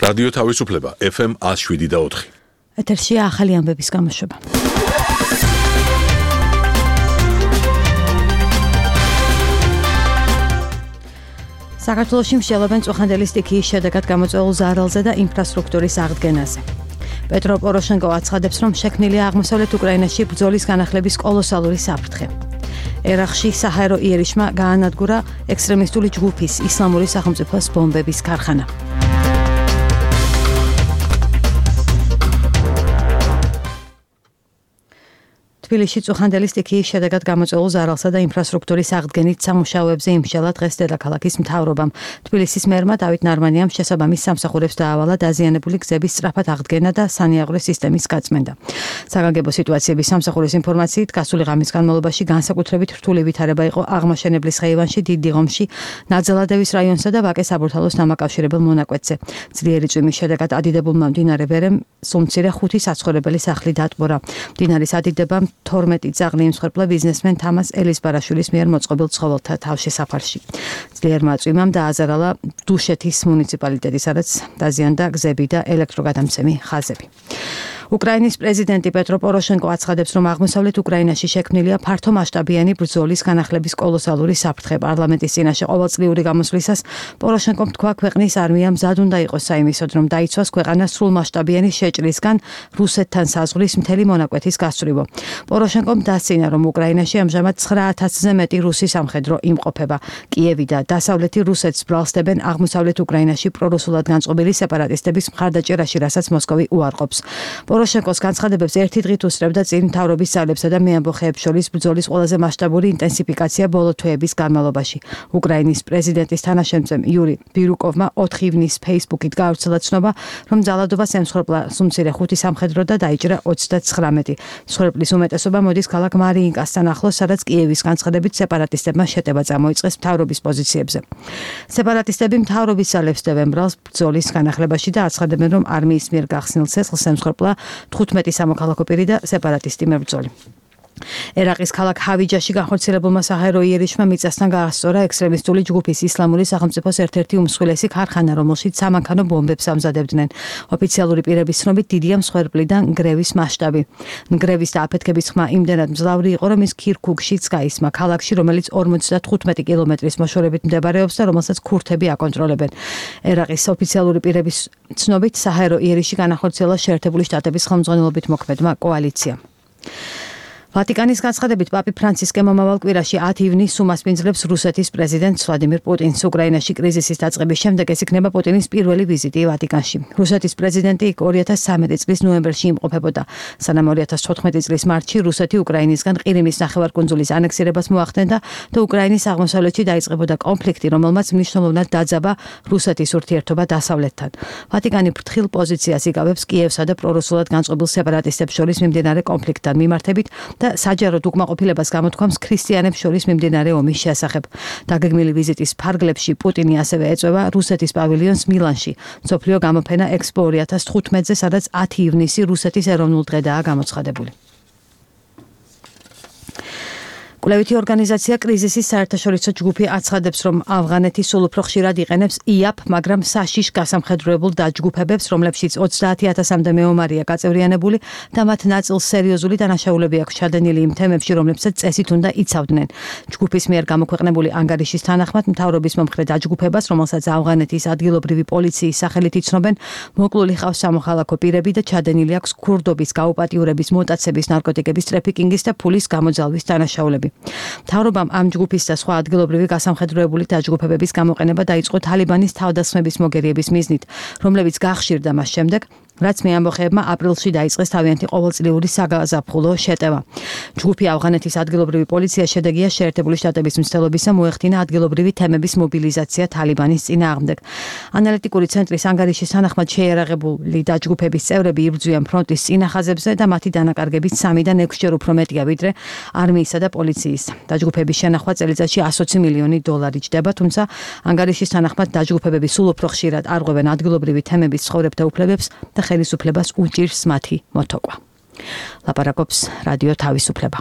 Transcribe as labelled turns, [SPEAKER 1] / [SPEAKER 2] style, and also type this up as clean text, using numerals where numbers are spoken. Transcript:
[SPEAKER 1] რადიო თავისუფლება FM 107.4.
[SPEAKER 2] ეთერში ახალი ამბების გამოშვება. საქართველოში მსჯელობენ წუხანდელი სტიქიის შედეგად გამოწვეულ ზარალზე და ინფრასტრუქტურის აღდგენაზე. პეტრო პოროშენკო აცხადებს, რომ შექმნილია აღმოსავლეთ უკრაინაში ბრძოლის განახლების კოლოსალური საფრთხე. ერახში საჰაერო იერიშმა გაანადგურა ექსტრემისტული ჯგუფის ისლამური სახელმწიფოს ბომბების ქარხანა. თბილისში წუხანდელი სტიქიის შედეგად გამოწვეულ ზარალსა და ინფრასტრუქტურის აღდგენით სამუშაოებზე იმსჯელა დღეს დედაქალაქის მთავრობამ. თბილისის მერმა დავით ნარმანიამ შესაბამის სამსახურებს დაავალა დაზიანებული გზების სწრაფად აღდგენა და სანიაღვრე სისტემის გაწმენდა. საგანგებო სიტუაციების სამსახურის ინფორმაციით, გასული ღამის განმავლობაში განსაკუთრებით რთული ვითარება იყო აღმაშენებლის ხეივანში, დიდიღომში, ნაძალადევის რაიონსა და ვაკეს საბურთალოს დამაკავშირებელ მონაკვეთზე. ძლიერი წვიმის შედეგად ადიდებულმა მდინარე ვერემ სულმცირე 5 საცხოვრებელი სახლი დატბორა. მდინარის ადიდებამ 12 ძაღლი იმსხვერპლა ბიზნესმენ თამას ელისბარაშვილის მიერ მოწყობილ ცხოველთა თავშესაფარში. ძლიერმა წვიმამ დააზარალა დუშეთის მუნიციპალიტეტი, სადაც დაზიანდა გზები და ელექტროგადამცემი ხაზები. უკრაინის პრეზიდენტი პეტრო პოროშენკო აცხადებს, რომ აღმოსავლეთ უკრაინაში შექმნილია ფართომასშტაბიანი ბრძოლის განახლების კოლოსალური საფრთხე. პარლამენტის წინაშე ყოველწლიური გამოსვლისას პოროშენკომ თქვა, ქვეყნის არმია მზად უნდა იყოს საიმისოდ, რომ დაიცვას ქვეყანა სრულმასშტაბიანი შეჭრისგან რუსეთთან საზღვრის მთელი მონაკვეთის გასწვრივო. პოროშენკომ დასცინა, რომ უკრაინაში ამჟამად 9000-ზე მეტი რუსი სამხედრო იმყოფება. კიევი და დასავლეთი რუსეთს ბრალსდებენ აღმოსავლეთ უკრაინაში პრორუსულად განწყობილი სეპარატისტების მხარდაჭერაში, რასაც მოსკოვი უარყოფს. პოროშენკოს განცხადებებს ერთი დღით უსწრებდა წინ მთავრობის ძალებსა და მეამბოხეებს შორის ბრძოლის ყველაზე მასშტაბური ინტენსიფიკაცია ბოლო თვეების განმავლობაში. უკრაინის პრეზიდენტის თანაშემწემ იური ბირუკოვმა 4 ივნის ფეისბუქით გაავრცელა ცნობა, რომ ძალადობას ემსხვერპლა სულმცირე 5 სამხედრო და დაიჭრა 39. მსხვერპლის უმეტესობა მოდის ქალაქ მარიინკასთან ახლოს, სადაც კიევის განცხადებით სეპარატისტებმა შეტევა წამოიწყეს მთავრობის პოზიციებზე. სეპარატისტები მთავრობის ძალებს დევენ ბრალს ბრძოლის განახლებაში და აცხადებენ, რომ არმიის მიერ გახსნილ ცეცხლს ემსხვერპლა 15 სამოქალაქო პირი და სეპარატისტი მებრძოლი. ერაყის ქალაქ ჰავიჯაში განხორციელებულმა საჰაერო იერიშმა მიწასთან გაასწორა ექსტრემისტული ჯგუფის ისლამური სახელმწიფოს ერთ-ერთი უმსხვილესი ქარხანა, რომელშიც სამანქანო ბომბებს ამზადებდნენ. ოფიციალური პირების ცნობით დიდია მსხვერპლი და ნგრევის მასშტაბი. ნგრევის და აფეთქების ხმა იმდენად მძლავრი იყო, რომ ის ქირქუგშიც გაისმა, ქალაქში, რომელიც 55 კილომეტრის მოშორებით მდებარეობს და რომელსაც ქურთები აკონტროლებენ. ერაყის ოფიციალური პირების ცნობით საჰაერო იერიში განახორციელა შეერთებული შტატების ხელმძღვანელობით მოქმედმა კოალიციამ. ვატიკანის განცხადებით პაპი ფრანცისკე მომავალ კვირაში 10 ივნის უმასპინძლებს რუსეთის პრეზიდენტს ვლადიმირ პუტინს. უკრაინაში კრიზისის დაწყების შემდეგ ეს იქნება პუტინის პირველი ვიზიტი ვატიკანში. რუსეთის პრეზიდენტი 2013 წლის ნოემბერში იმყოფებოდა, სანამ 2014 წლის მარტში რუსეთი უკრაინისგან ყირიმის ნახევარკუნძულის ანექსირებას მოახდენდა და უკრაინის აღმოსავლეთში დაიწყებოდა კონფლიქტი, რომელმაც მნიშვნელოვნად დაძაბა რუსეთის ურთიერთობა დასავლეთთან. ვატიკანი ფრთხილ პოზიციას იკავებს კიევსა და პრორუსულად განწყობილ სეპარატისტებს შორის მიმდინარე კონფლიქტთან მიმართებით და საჯაროდ უკმაყოფილებას გამოთქვამს ქრისტიანებს შორის მიმდინარე ომის შესახებ. დაგეგმილი ვიზიტის ფარგლებში პუტინი ასევე ეწევა რუსეთის პავილიონს მილანში, მსოფლიო გამოფენა ექსპო 2015-ზე, სადაც 10 ივნისი რუსეთის ეროვნულ დღედაა გამოცხადებული. კვლევითი ორგანიზაცია კრიზისის საერთაშორისო ჯგუფი აცხადებს, რომ ავღანეთი სულ უფრო ხშირად იყენებს იაპ, მაგრამ საშიშ გასამხედროებულ დაჯგუფებებს, რომლებშიც 30,000-მდე მეომარია გაწევრიანებული და მათ ნაწილს სერიოზული დანაშაულები აქვს ჩადენილი იმ თემებში, რომლებსაც წესით უნდა იცავდნენ. ჯგუფის მიერ გამოქვეყნებული ანგარიშის თანახმად, მთავრობის მომხრე დაჯგუფებას, რომელსაც ავღანეთის ადგილობრივი პოლიციის სახელით იცნობენ, მოკლული ხავს სამოქალაქო პირები და ჩადენილი აქვს ქურდობის გაუპატიურების, მოტაცების, ნარკოტიკების ტრაფიკინგის და ფულის გამოძალვის დანაშაულები. მთავრობამ ამ ჯგუფის და სხვა ადგილობრივი გასამხედროებული დაჯგუფებების გამოყენება დაიწყო თალიბანის თავდასხმების მოგერიების მიზნით, რომლებიც გახშირდა მას შემდეგ, რაც მეამბოხეებმა აპრილში დაიწყეს თავიანთი ყოველწლიური საგაზაფხულო შეტევა. ჯგუფი ავღანეთის ადგილობრივი პოლიცია შედეგია შეერთებული შტატების მცდელობისა მოეხდინა ადგილობრივი თემების მობილიზაცია თალიბანის წინააღმდეგ. ანალიტიკური ცენტრის ანგარიშის თანახმად შეიარაღებული დაჯგუფების წევრები იბრძვიან ფრონტის წინახაზებზე და მათი დანაკარგებით 3-დან 6-ჯერ უფრო მეტია ვიდრე არმიისა და პოლიციის. დაჯგუფების შენახვა წელიწადში 120 მილიონი დოლარი ჯდება, თუმცა ანგარიშის თანახმად დაჯგუფებები სულ უფრო ხშირად არღვევენ ადგილობრივი თემების ცხოვრებთა უფლებებს და ხელისუფლებას უჭირს მათი მოთოკვა. ლაპარაკობს რადიო თავისუფლება.